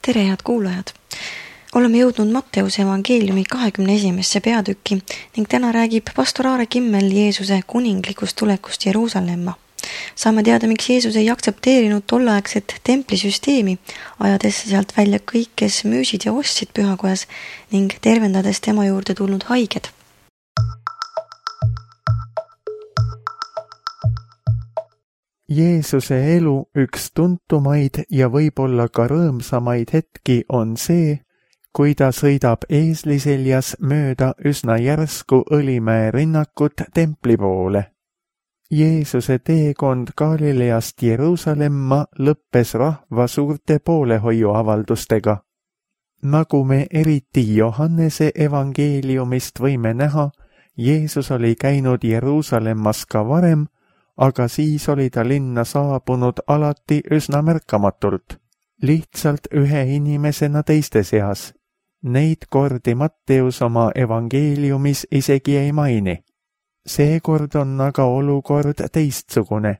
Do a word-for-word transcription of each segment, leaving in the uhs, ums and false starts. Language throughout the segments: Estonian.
Tere, head kuulajad! Oleme jõudnud Matteuse evangeeliumi kahekümne esimesse peatükki ning täna räägib pastor Aare Kimmel Jeesuse kuninglikust tulekust Jeruusalemma. Saame teada, miks Jeesus ei aktsepteerinud tolleaegset templisüsteemi, ajades sealt välja kõik, kes müüsid ja ostsid pühakojas ning tervendades tema juurde tulnud haiged. Jeesuse elu üks tuntumaid ja võib-olla ka rõõmsamaid hetki on see, kui ta sõidab eesliseljas mööda üsna järsku Õlimäe rinnakut templi poole. Jeesuse teekond Galileast Jeruusalemma lõppes rahva suurte poolehoiuavaldustega. Nagu me eriti Johannese evangeeliumist võime näha, Jeesus oli käinud Jeruusalemmas ka varem, aga siis oli ta linna saabunud alati üsna märkamatult, lihtsalt ühe inimesena teiste seas. Neid kordi Matteus oma evangeeliumis isegi ei maini. Seekord on aga olukord teistsugune.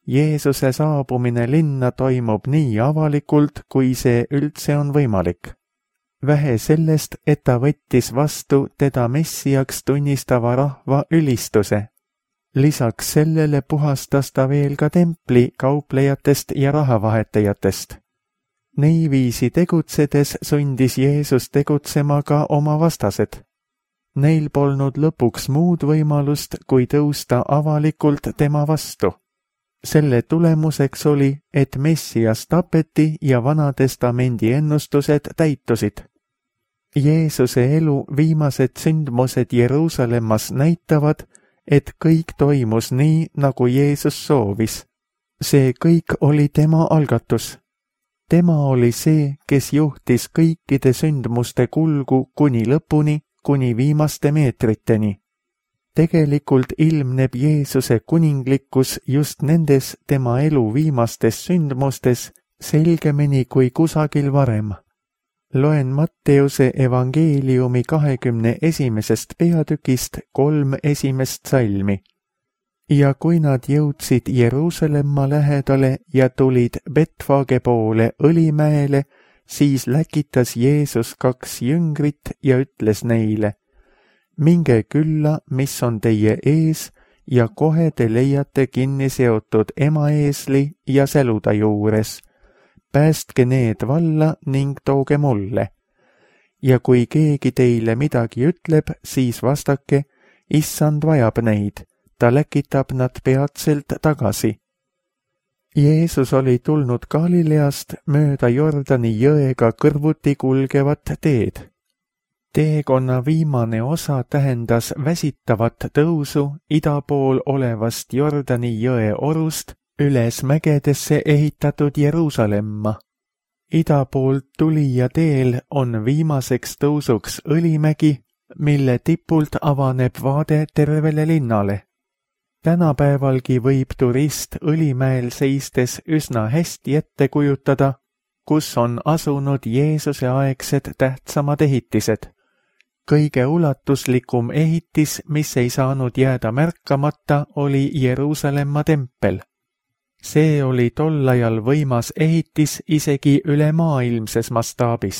Jeesuse saabumine linna toimub nii avalikult, kui see üldse on võimalik. Vähe sellest, et ta võttis vastu teda messiaks tunnistava rahva ülistuse. Lisaks sellele puhastas ta veel ka templi kauplejatest ja rahavahetajatest. Niiviisi tegutsedes sundis Jeesus tegutsema ka oma vastased. Neil polnud lõpuks muud võimalust, kui tõusta avalikult tema vastu. Selle tulemuseks oli, et messias tapeti ja Vanatestamendi ennustused täitusid. Jeesuse elu viimased sündmused Jeruusalemmas näitavad, et kõik toimus nii, nagu Jeesus soovis. See kõik oli tema algatus. Tema oli see, kes juhtis kõikide sündmuste kulgu kuni lõpuni, kuni viimaste meetriteni. Tegelikult ilmneb Jeesuse kuninglikkus just nendes tema elu viimastes sündmustes selgemini kui kusagil varem. Loen Matteuse evangeeliumi kahekümne esimesest peatükist kolm esimest salmi. Ja kui nad jõudsid Jeruusalemma lähedale ja tulid Betfage poole Õlimäele, siis läkitas Jeesus kaks jüngrit ja ütles neile: minge külla, mis on teie ees, ja kohe te leiate kinni seotud emaeesli ja säluda juures. Päästke need valla ning tooge mulle. Ja kui keegi teile midagi ütleb, siis vastake: issand vajab neid, ta läkitab nad peatselt tagasi. Jeesus oli tulnud Galileast mööda Jordani jõega kõrvuti kulgevat teed. Teekonna viimane osa tähendas väsitavat tõusu ida pool olevast Jordani jõe orust üles mägedesse ehitatud Jeruusalemma. Ida poolt tulija teel on viimaseks tõusuks Õlimägi, mille tipult avaneb vaade tervele linnale. Tänapäevalgi võib turist Õlimäel seistes üsna hästi ette kujutada, kus on asunud Jeesuse aegsed tähtsamad ehitised. Kõige ulatuslikum ehitis, mis ei saanud jääda märkamata, oli Jeruusalemma tempel. See oli tol ajal võimas ehitis isegi üle maailmses mastaabis.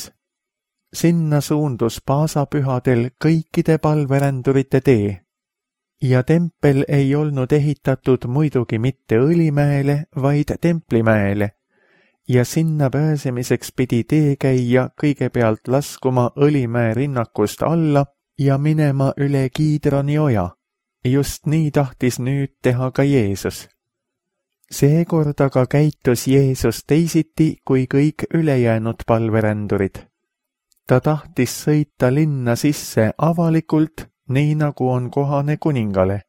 Sinna suundus paasapühadel kõikide palverändurite tee. Ja tempel ei olnud ehitatud muidugi mitte Õlimäele, vaid Templimäele. Ja sinna pääsemiseks pidi teekäija kõigepealt laskuma Õlimäe rinnakust alla ja minema üle Kiidroni oja. Just nii tahtis nüüd teha ka Jeesus. Seekord aga käitus Jeesus teisiti kui kõik ülejäänud palverändurid. Ta tahtis sõita linna sisse avalikult, nii nagu on kohane kuningale.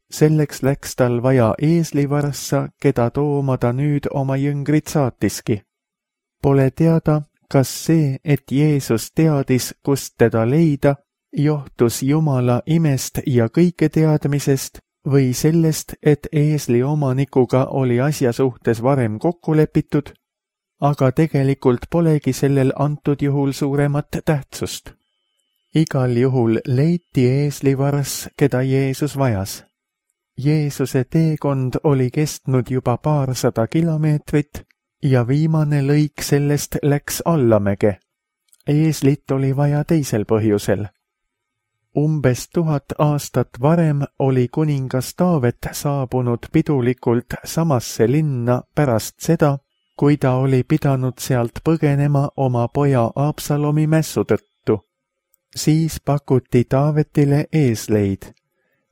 Selleks läks tal vaja eeslivarssa, keda tooma ta nüüd oma jüngrid saatiski. Pole teada, kas see, et Jeesus teadis, kust teda leida, johtus Jumala imest ja kõike teadmisest, või sellest, et eesli omanikuga oli asja suhtes varem kokku lepitud, aga tegelikult polegi sellel antud juhul suuremat tähtsust. Igal juhul leiti eeslivarss, keda Jeesus vajas. Jeesuse teekond oli kestnud juba paarsada kilomeetrit ja viimane lõik sellest läks allamäge. Eeslit oli vaja teisel põhjusel. Umbes tuhat aastat varem oli kuningas Taavet saabunud pidulikult samasse linna pärast seda, kui ta oli pidanud sealt põgenema oma poja Absalomi mässu tõttu. Siis pakuti Taavetile eesleid.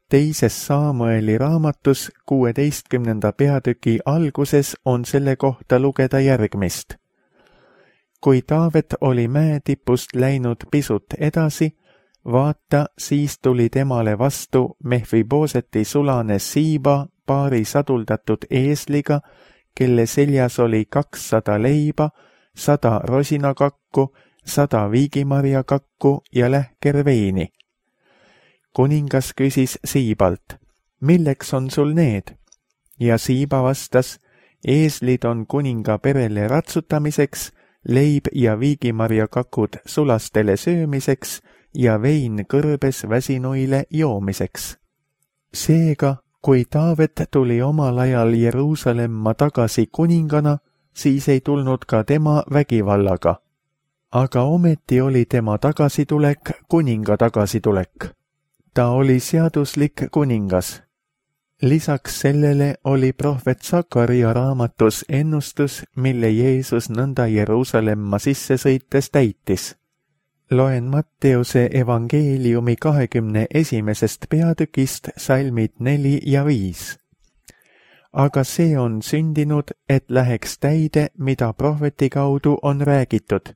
Teises Saamueli raamatus kuueteistkümnenda peatüki alguses on selle kohta lugeda järgmist. Kui Taavet oli mäetipust läinud pisut edasi, vaata, siis tuli temale vastu Mehfiboseti sulane Siiba paari saduldatud eesliga, kelle seljas oli kakssada leiba, sada rosinakakku, sada viigimarjakakku ja lähker veini. Kuningas küsis Siibalt, milleks on sul need? Ja Siiba vastas, eeslid on kuninga perele ratsutamiseks, leib ja viigimarjakakud sulastele söömiseks ja vein kõrbes väsinuile joomiseks. Seega, kui Taavet tuli omal ajal Jeruusalemma tagasi kuningana, siis ei tulnud ka tema vägivallaga. Aga ometi oli tema tagasitulek kuninga tagasitulek. Ta oli seaduslik kuningas. Lisaks sellele oli prohvet Sakaria raamatus ennustus, mille Jeesus nõnda Jeruusalemma sisse sõites täitis. Loen Matteuse evangeeliumi kahekümne esimesest peatükist salmid neli ja viis. Aga see on sündinud, et läheks täide, mida prohveti kaudu on räägitud.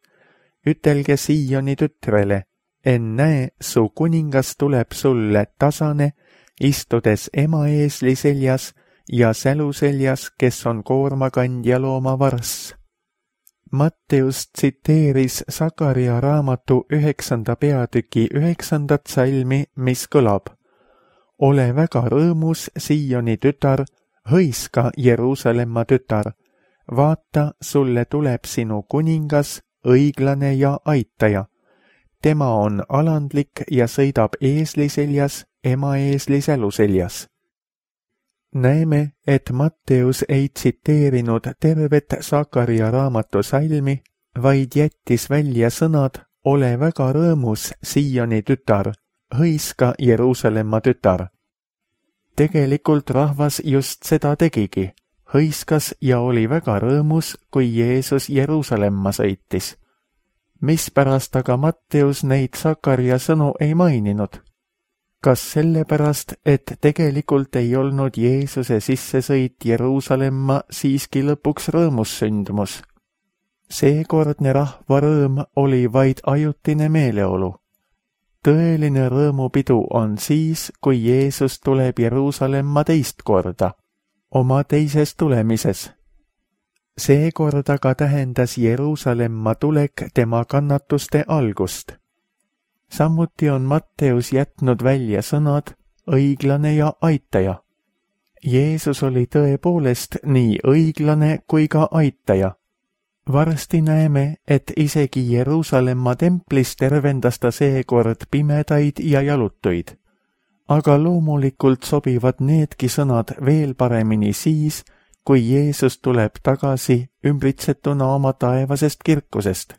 Ütelge Sioni tütrele, ennäe, su kuningas tuleb sulle tasane, istudes ema eesli seljas ja sälu seljas, kes on koormakandja looma varss. Matteus tsiteeris Sakaria raamatu üheksanda peatüki üheksandat salmi, mis kõlab. Ole väga rõõmus, Sioni tütar, hõiska Jeruusalemma tütar. Vaata, sulle tuleb sinu kuningas, õiglane ja aitaja. Tema on alandlik ja sõidab eesli seljas, ema eesli sälu seljas. Näeme, et Matteus ei tsiteerinud tervet Sakaria raamatu salmi, vaid jättis välja sõnad ole väga rõõmus, Sioni tütar, hõiska Jeruusalemma tütar. Tegelikult rahvas just seda tegigi, hõiskas ja oli väga rõõmus, kui Jeesus Jeruusalemma sõitis. Mispärast aga Matteus neid Sakaria sõnu ei maininud? Kas sellepärast, et tegelikult ei olnud Jeesuse sissesõit Jeruusalemma siiski lõpuks rõõmussündmus? Seekordne rahva rõõm oli vaid ajutine meeleolu. Tõeline rõõmupidu on siis, kui Jeesus tuleb Jeruusalemma teist korda, oma teises tulemises. Seekord aga tähendas Jeruusalemma tulek tema kannatuste algust. Samuti on Matteus jätnud välja sõnad õiglane ja aitaja. Jeesus oli tõepoolest nii õiglane kui ka aitaja. Varsti näeme, et isegi Jeruusalemma templis tervendas ta seekord pimedaid ja jalutuid. Aga loomulikult sobivad needki sõnad veel paremini siis, kui Jeesus tuleb tagasi ümbritsetuna oma taevasest kirkusest.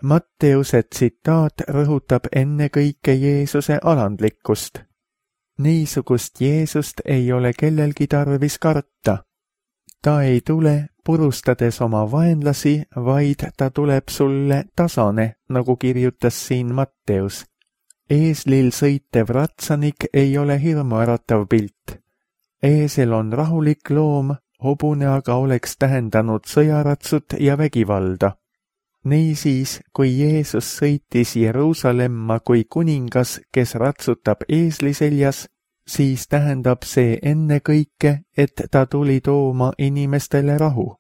Matteuse tsitaat rõhutab ennekõike Jeesuse alandlikkust. Niisugust Jeesust ei ole kellelgi tarvis karta. Ta ei tule purustades oma vaenlasi, vaid ta tuleb sulle tasane, nagu kirjutas siin Matteus. Eeslil sõitev ratsanik ei ole hirmuäratav pilt. Eesel on rahulik loom, hobune aga oleks tähendanud sõjaratsut ja vägivalda. Niisiis, kui Jeesus sõitis Jeruusalemma kui kuningas, kes ratsutab eesli seljas, siis tähendab see ennekõike, et ta tuli tooma inimestele rahu.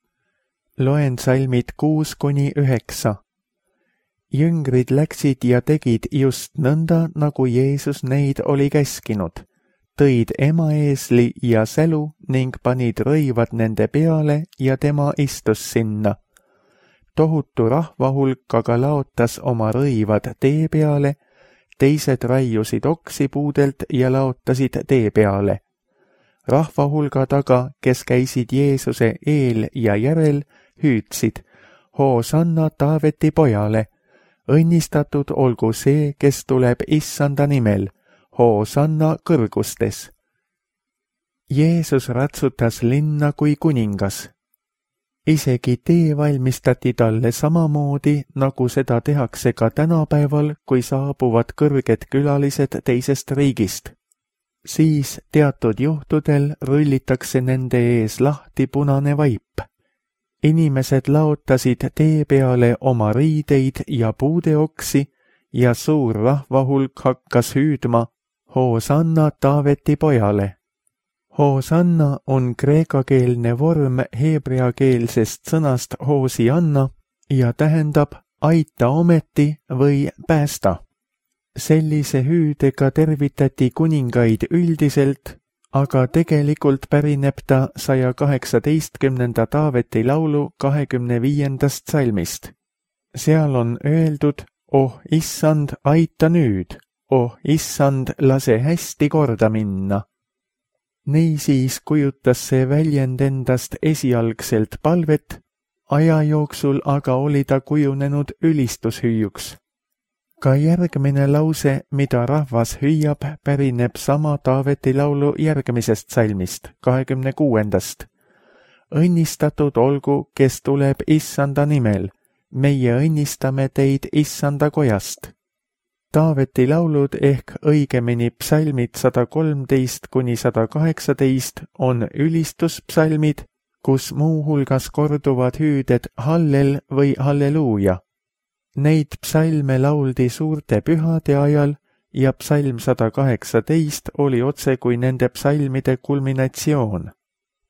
Loen salmid kuus kuni üheksa. Jüngrid läksid ja tegid just nõnda, nagu Jeesus neid oli käskinud. Tõid ema eesli ja sälu ning panid rõivad nende peale ja tema istus sinna. Tohutu rahvahulk aga laotas oma rõivad tee peale, teised raiusid oksipuudelt ja laotasid tee peale. Rahvahulga taga, kes käisid Jeesuse eel ja järel, hüüdsid: Hoosanna Taaveti pojale! Õnnistatud olgu see, kes tuleb Issanda nimel, Hoosanna kõrgustes! Jeesus ratsutas linna kui kuningas. Isegi tee valmistati talle samamoodi, nagu seda tehakse ka tänapäeval, kui saabuvad kõrged külalised teisest riigist. Siis teatud juhtudel rullitakse nende ees lahti punane vaip. Inimesed laotasid tee peale oma riideid ja puudeoksi ja suur rahvahulk hakkas hüüdma: Hoosanna Taaveti pojale! Hoosanna on kreekakeelne vorm heebreakeelsest sõnast hoosianna ja tähendab aita ometi või päästa. Sellise hüüdega tervitati kuningaid üldiselt, aga tegelikult pärineb ta saja kaheksateistkümnenda Taaveti laulu kahekümne viiendast salmist. Seal on öeldud: Oh issand, aita nüüd! Oh issand, lase hästi korda minna! Niisiis kujutas see väljend endast esialgselt palvet, aja jooksul aga oli ta kujunenud ülistushüüjuks. Ka järgmine lause, mida rahvas hüüab, pärineb sama Taaveti laulu järgmisest salmist, kahekümne kuuendast. Õnnistatud olgu, kes tuleb Issanda nimel, meie õnnistame teid Issanda kojast. Taaveti laulud ehk õigemini psalmid sada kolmteist kuni sada kaheksateist on ülistuspsalmid, kus muuhulgas korduvad hüüded hallel või halleluuja. Neid psalme lauldi suurte pühade ajal ja psalm sada kaheksateist oli otse kui nende psalmide kulminatsioon.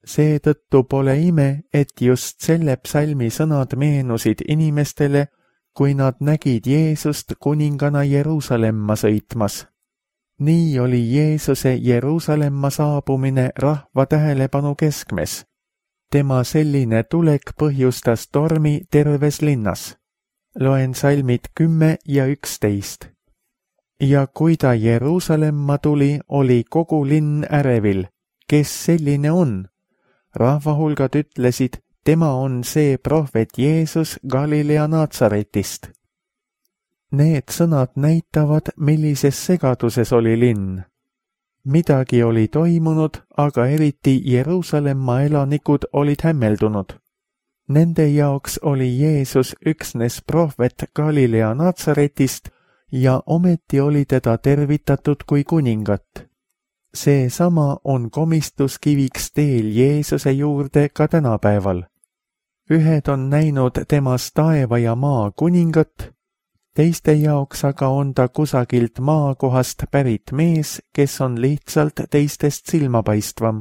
Seetõttu pole ime, et just selle psalmi sõnad meenusid inimestele, kui nad nägid Jeesust kuningana Jeruusalemma sõitmas. Nii oli Jeesuse Jeruusalemma saabumine rahva tähelepanu keskmes. Tema selline tulek põhjustas tormi terves linnas. Loen salmid kümme ja üksteist. Ja kui ta Jeruusalemma tuli, oli kogu linn ärevil. Kes selline on? Rahvahulgad ütlesid: tema on see prohvet Jeesus Galilea Naatsaretist. Need sõnad näitavad, millises segaduses oli linn. Midagi oli toimunud, aga eriti Jeruusalemma elanikud olid hämmeldunud. Nende jaoks oli Jeesus üksnes prohvet Galilea Naatsaretist ja ometi oli teda tervitatud kui kuningat. Seesama on komistuskiviks teel Jeesuse juurde ka tänapäeval. Ühed on näinud temas taeva ja maa kuningat, teiste jaoks aga on ta kusagilt maakohast pärit mees, kes on lihtsalt teistest silmapaistvam.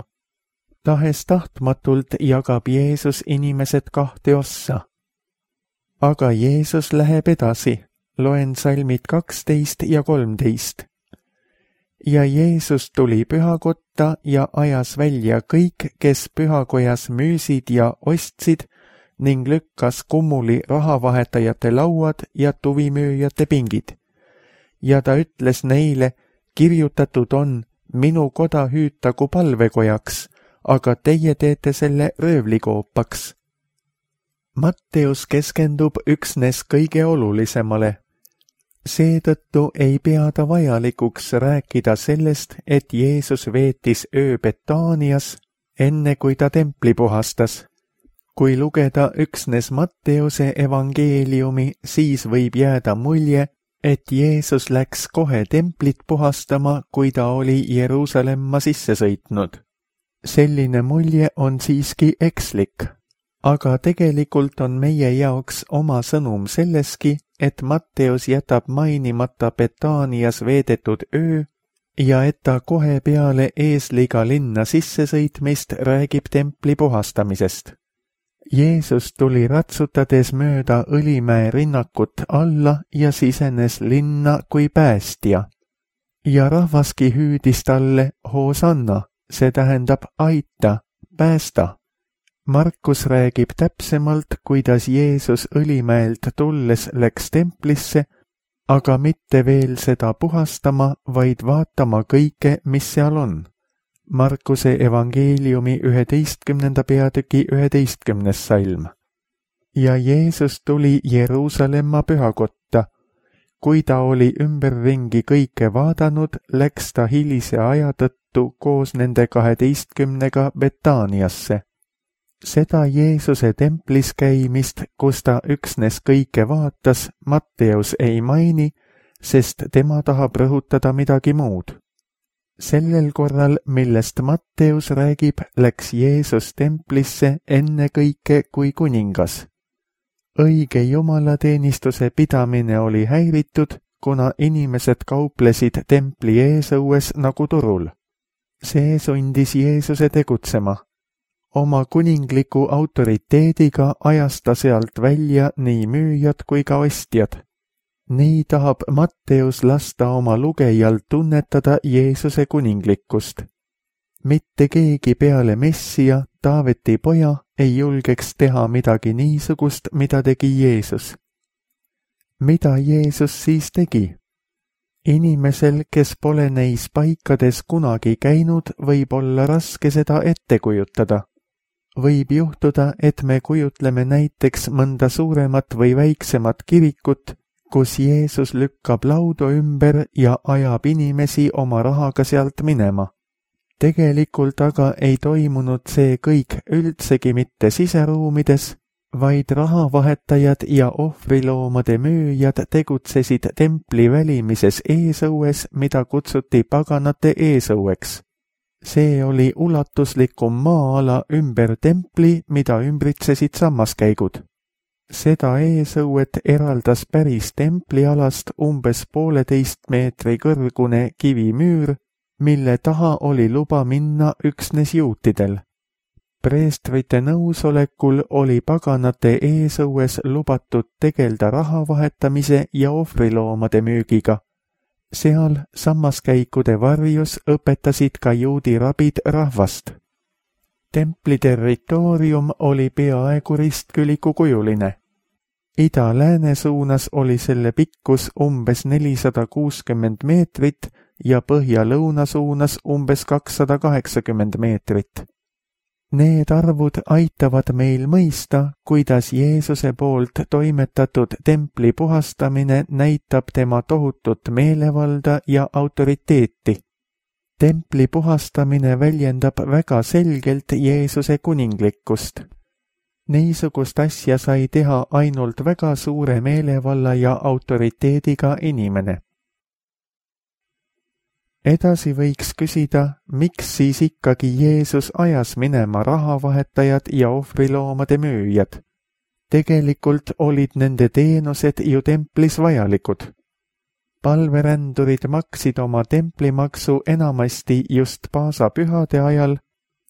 Tahes tahtmatult jagab Jeesus inimesed kahte ossa. Aga Jeesus läheb edasi, loen salmid kaksteist ja kolmteist. Ja Jeesus tuli pühakotta ja ajas välja kõik, kes pühakojas müüsid ja ostsid, ning lükkas kummuli rahavahetajate lauad ja tuvimüüjate pingid. Ja ta ütles neile: kirjutatud on, minu koda hüütagu palvekojaks, aga teie teete selle röövlikoopaks. Matteus keskendub üksnes kõige olulisemale. Seetõttu ei pea ta vajalikuks rääkida sellest, et Jeesus veetis öö Betaanias, enne kui ta templi puhastas. Kui lugeda üksnes Matteuse evangeeliumi, siis võib jääda mulje, et Jeesus läks kohe templit puhastama, kui ta oli Jeruusalemma sisse sõitnud. Selline mulje on siiski ekslik, aga tegelikult on meie jaoks oma sõnum selleski, et Matteus jätab mainimata Betaanias veedetud öö ja et ta kohe peale eesliga linna sissesõitmist räägib templi puhastamisest. Jeesus tuli ratsutades mööda Õlimäe rinnakut alla ja sisenes linna kui päästja. Ja rahvaski hüüdis talle Hoosanna, see tähendab aita, päästa. Markus räägib täpsemalt, kuidas Jeesus Õlimäelt tulles läks templisse, aga mitte veel seda puhastama, vaid vaatama kõike, mis seal on. Markuse evangeeliumi üheteistkümnenda peatüki üheteistkümnes salm. ja Jeesus tuli Jeruusalemma pühakotta. Kui ta oli ümberringi kõike vaadanud, läks ta hilise aja tõttu koos nende kaheteistkümnega Betaaniasse. Seda Jeesuse templis käimist, kus ta üksnes kõike vaatas, Matteus ei maini, sest tema tahab rõhutada midagi muud. Sellel korral, millest Matteus räägib, läks Jeesus templisse ennekõike kui kuningas. Õige jumalateenistuse pidamine oli häiritud, kuna inimesed kauplesid templi eesõues nagu turul. See sundis Jeesuse tegutsema. Oma kuningliku autoriteediga ajas ta sealt välja nii müüjad kui ka ostjad. Nii tahab Matteus lasta oma lugejal tunnetada Jeesuse kuninglikkust. Mitte keegi peale Messia, Taaveti poja, ei julgeks teha midagi niisugust, mida tegi Jeesus. Mida Jeesus siis tegi? Inimesel, kes pole neis paikades kunagi käinud, võib olla raske seda ette kujutada. Võib juhtuda, et me kujutleme näiteks mõnda suuremat või väiksemat kirikut, kus Jeesus lükkab laudu ümber ja ajab inimesi oma rahaga sealt minema. Tegelikult aga ei toimunud see kõik üldsegi mitte siseruumides, vaid rahavahetajad ja ohvriloomade müüjad tegutsesid templi välimises eesõues, mida kutsuti paganate eesõueks. See oli ulatuslikum maa-ala ümber templi, mida ümbritsesid sammaskäigud. Seda eesõuet eraldas päris templialast umbes pooleteist meetri kõrgune kivimüür, mille taha oli luba minna üksnes juutidel. Preestrite nõusolekul oli paganate eesõues lubatud tegelda rahavahetamise ja ohvriloomade müügiga. Seal sammaskäikude varjus õpetasid ka juudi rabid rahvast. Templi territoorium oli peaaegu ristkülikukujuline. Ida-lääne suunas oli selle pikkus umbes nelisada kuuskümmend meetrit ja põhja-lõuna suunas umbes kakssada kaheksakümmend meetrit. Need arvud aitavad meil mõista, kuidas Jeesuse poolt toimetatud templi puhastamine näitab tema tohutut meelevalda ja autoriteeti. Templi puhastamine väljendab väga selgelt Jeesuse kuninglikkust. Niisugust asja sai teha ainult väga suure meelevalla ja autoriteediga inimene. Edasi võiks küsida, miks siis ikkagi Jeesus ajas minema rahavahetajad ja ohvriloomade müüjad. Tegelikult olid nende teenused ju templis vajalikud. Palverändurid maksid oma templimaksu enamasti just paasapühade ajal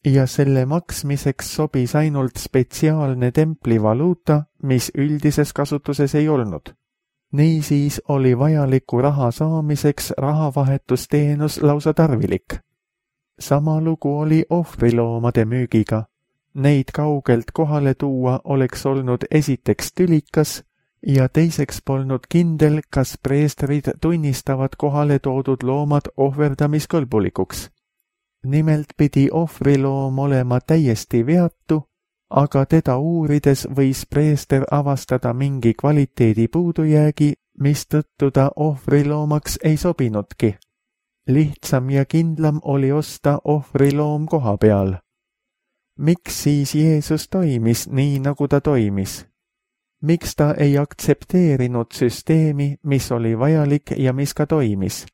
ja selle maksmiseks sobis ainult spetsiaalne templivaluuta, mis üldises kasutuses ei olnud. Niisiis oli vajaliku raha saamiseks rahavahetusteenus lausa tarvilik. Sama lugu oli ohvriloomade müügiga. Neid kaugelt kohale tuua oleks olnud esiteks tülikas ja teiseks polnud kindel, kas preestrid tunnistavad kohale toodud loomad ohverdamiskõlbulikuks. Nimelt pidi ohvriloom olema täiesti veatu, aga teda uurides võis preester avastada mingi kvaliteedi puudujäägi, mistõttu ta ohvriloomaks ei sobinudki. Lihtsam ja kindlam oli osta ohvriloom koha peal. Miks siis Jeesus toimis nii, nagu ta toimis? Miks ta ei aktsepteerinud süsteemi, mis oli vajalik ja mis ka toimis?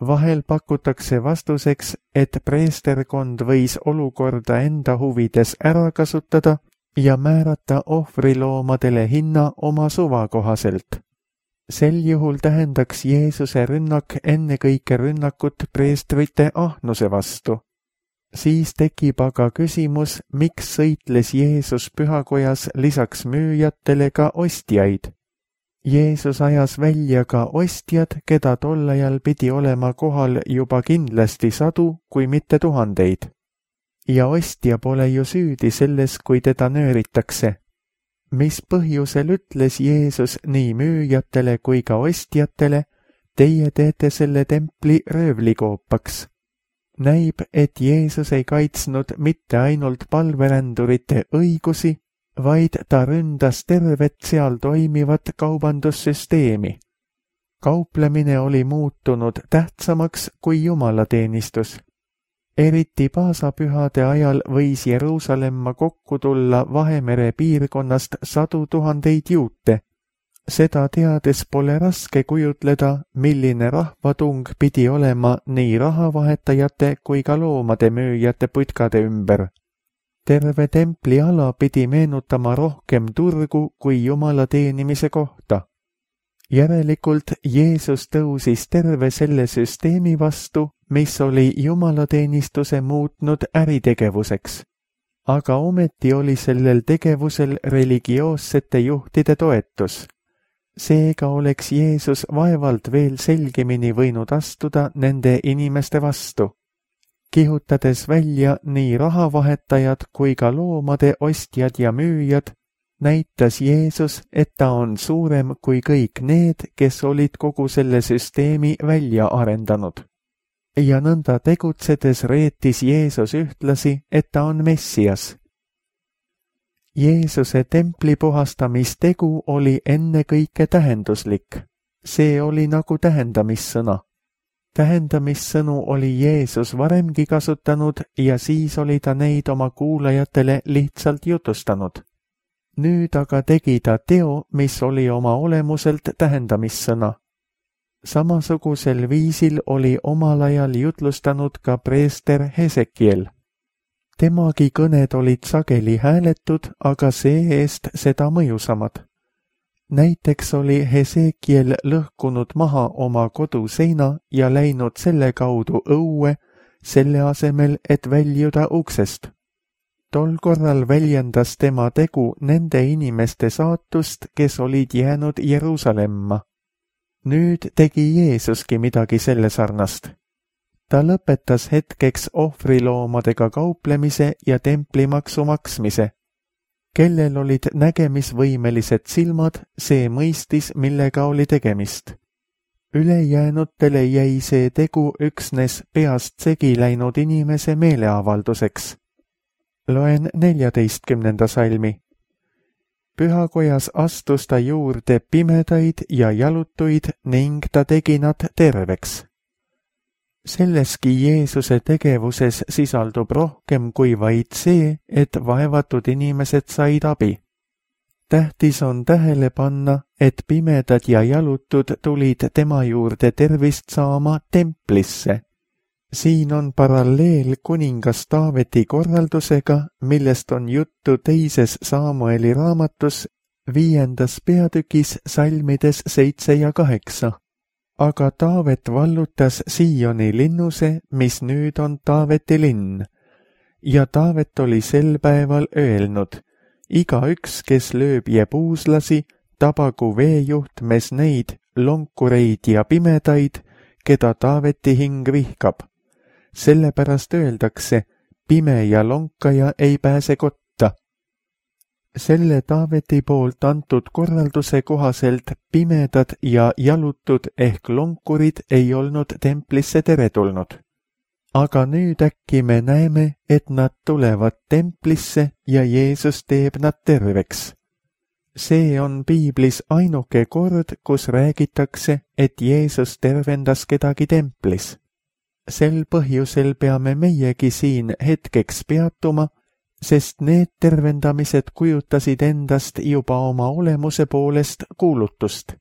Vahel pakutakse vastuseks, et preesterkond võis olukorda enda huvides ära kasutada ja määrata ohvriloomadele hinna oma suva kohaselt. Sel juhul tähendaks Jeesuse rünnak ennekõike rünnakut preestrite ahnuse vastu. Siis tekib aga küsimus, miks sõitles Jeesus pühakojas lisaks müüjatele ka ostjaid. Jeesus ajas välja ka ostjad, keda tol ajal pidi olema kohal juba kindlasti sadu, kui mitte tuhandeid. Ja ostja pole ju süüdi selles, kui teda nööritakse. Mis põhjusel ütles Jeesus nii müüjatele kui ka ostjatele, teie teete selle templi röövlikoopaks? Näib, et Jeesus ei kaitsnud mitte ainult palverändurite õigusi, vaid ta ründas tervet seal toimivat kaubandussüsteemi. Kauplemine oli muutunud tähtsamaks kui jumalateenistus. Eriti paasapühade ajal võis Jeruusalemma kokku tulla Vahemere piirkonnast sadu tuhandeid juute. Seda teades pole raske kujutleda, milline rahvatung pidi olema nii rahavahetajate kui ka loomade müüjate putkade ümber. Terve templi ala pidi meenutama rohkem turgu kui jumala teenimise kohta. Järelikult Jeesus tõusis terve selle süsteemi vastu, mis oli jumalateenistuse muutnud äritegevuseks. Aga ometi oli sellel tegevusel religioossete juhtide toetus. Seega oleks Jeesus vaevalt veel selgemini võinud astuda nende inimeste vastu. Kihutades välja nii rahavahetajad kui ka loomade ostjad ja müüjad, näitas Jeesus, et ta on suurem kui kõik need, kes olid kogu selle süsteemi välja arendanud. Ja nõnda tegutsedes reetis Jeesus ühtlasi, et ta on Messias. Jeesuse templi puhastamistegu oli ennekõike tähenduslik. See oli nagu tähendamissõna. Tähendamissõnu oli Jeesus varemgi kasutanud ja siis oli ta neid oma kuulajatele lihtsalt jutustanud. Nüüd aga tegi ta teo, mis oli oma olemuselt tähendamissõna. Samasugusel viisil oli omal ajal jutlustanud ka preester Hesekiel. Temagi kõned olid sageli hääletud, aga see-eest seda mõjusamad. Näiteks oli Hesekiel lõhkunud maha oma koduseina ja läinud selle kaudu õue, selle asemel, et väljuda uksest. Tol korral väljendas tema tegu nende inimeste saatust, kes olid jäänud Jeruusalemma. Nüüd tegi Jeesuski midagi selle sarnast. Ta lõpetas hetkeks ohvriloomadega kauplemise ja templimaksu maksmise. Kellel olid nägemisvõimelised silmad, see mõistis, millega oli tegemist. Ülejäänutele jäi see tegu üksnes peast segi läinud inimese meeleavalduseks. Loen neljateistkümnenda salmi. Pühakojas astus ta juurde pimedaid ja jalutuid ning ta tegi nad terveks. Selleski Jeesuse tegevuses sisaldub rohkem kui vaid see, et vaevatud inimesed said abi. Tähtis on tähele panna, et pimedad ja jalutud tulid tema juurde tervist saama templisse. Siin on paralleel kuningas Taaveti korraldusega, millest on juttu teises Saamueli raamatus, viiendas peatükis salmides seitse ja kaheksa. Aga Taavet vallutas Sioni linnuse, mis nüüd on Taaveti linn. Ja Taavet oli sel päeval öelnud, igaüks, kes lööb jebuuslasi, tabagu veejuhtmes neid, lonkureid ja pimedaid, keda Taaveti hing vihkab. Sellepärast öeldakse, pime ja lonkaja ei pääse kotta. Selle Taaveti poolt antud korralduse kohaselt pimedad ja jalutud ehk lonkurid ei olnud templisse teretulnud. Aga nüüd äkki me näeme, et nad tulevad templisse ja Jeesus teeb nad terveks. See on piiblis ainuke kord, kus räägitakse, et Jeesus tervendas kedagi templis. Sel põhjusel peame meiegi siin hetkeks peatuma, sest need tervendamised kujutasid endast juba oma olemuse poolest kuulutust.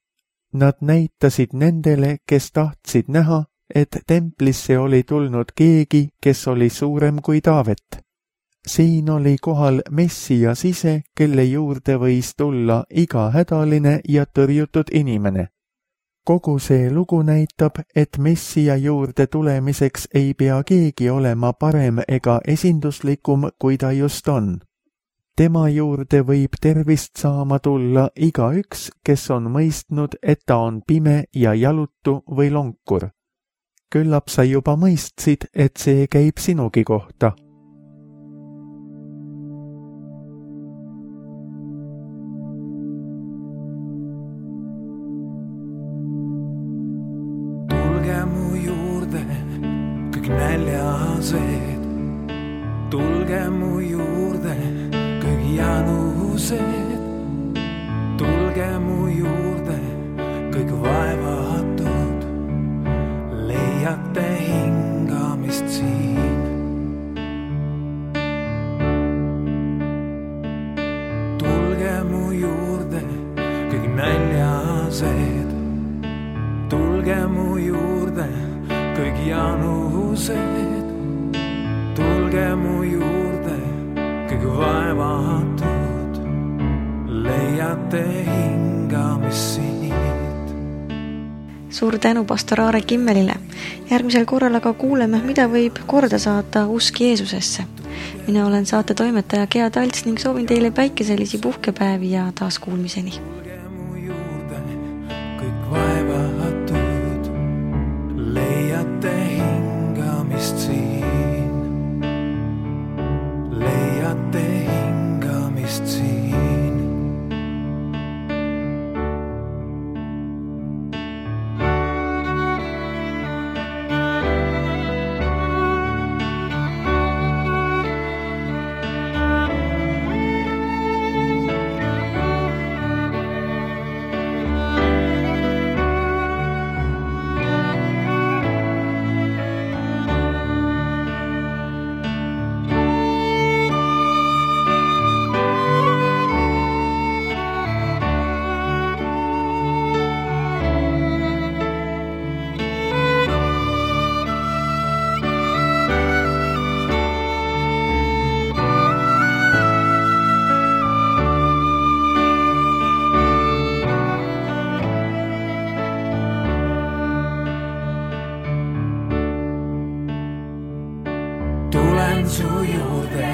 Nad näitasid nendele, kes tahtsid näha, et templisse oli tulnud keegi, kes oli suurem kui Taavet. Siin oli kohal Messias ise, kelle juurde võis tulla iga hädaline ja tõrjutud inimene. Kogu see lugu näitab, et Messia juurde tulemiseks ei pea keegi olema parem ega esinduslikum, kui ta just on. Tema juurde võib tervist saama tulla igaüks, kes on mõistnud, et ta on pime ja jalutu või lonkur. Küllap sa juba mõistsid, et see käib sinugi kohta. Näljased, tulge mu juurde, kõik janused, tulge mu juurde, kõik vaevatud, leiate hingamist siin. Tulge mu juurde, kõik näljased, tulge mu juurde, kõik janused, tulge mu juurde, kõik vaevatud, leiate hingamist siit. Suur tänu pastor Aare Kimmelile. Järgmisel korral aga kuuleme, mida võib korda saata usk Jeesusesse. Mina olen saate toimetaja Gea Talts ning soovin teile päikeselisi puhkepäevi ja taas kuulmiseni. Tulge mu juurde, kõik vaevatud, leiate hingamist siin. Leiate hingamist siin. Tulen su juurde,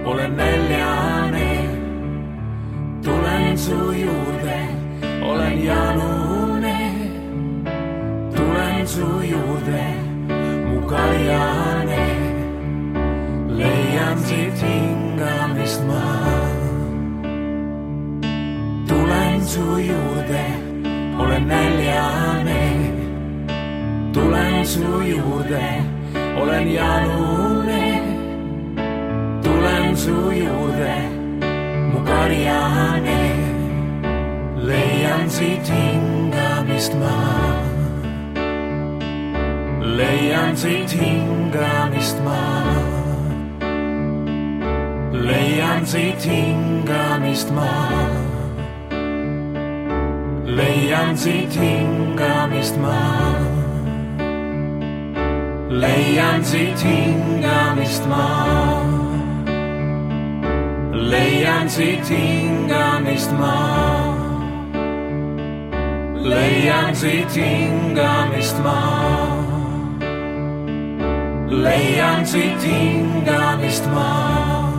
olen näljane. Tulen su juurde, olen janune. Tulen su juurde, mu kaljane. Leian siit hingamist ma. Tulen su juurde, olen näljane. Tulen su juurde, olen janune, tulen su juurde, mu karjane, leian siit hingamist ma. Leian siit hingamist ma. Leian siit hingamist ma. Leian siit hingamist ma. Leian siit hingamist ma. Leian siit hingamist ma. Leian siit hingamist ma. Leian siit hingamist ma.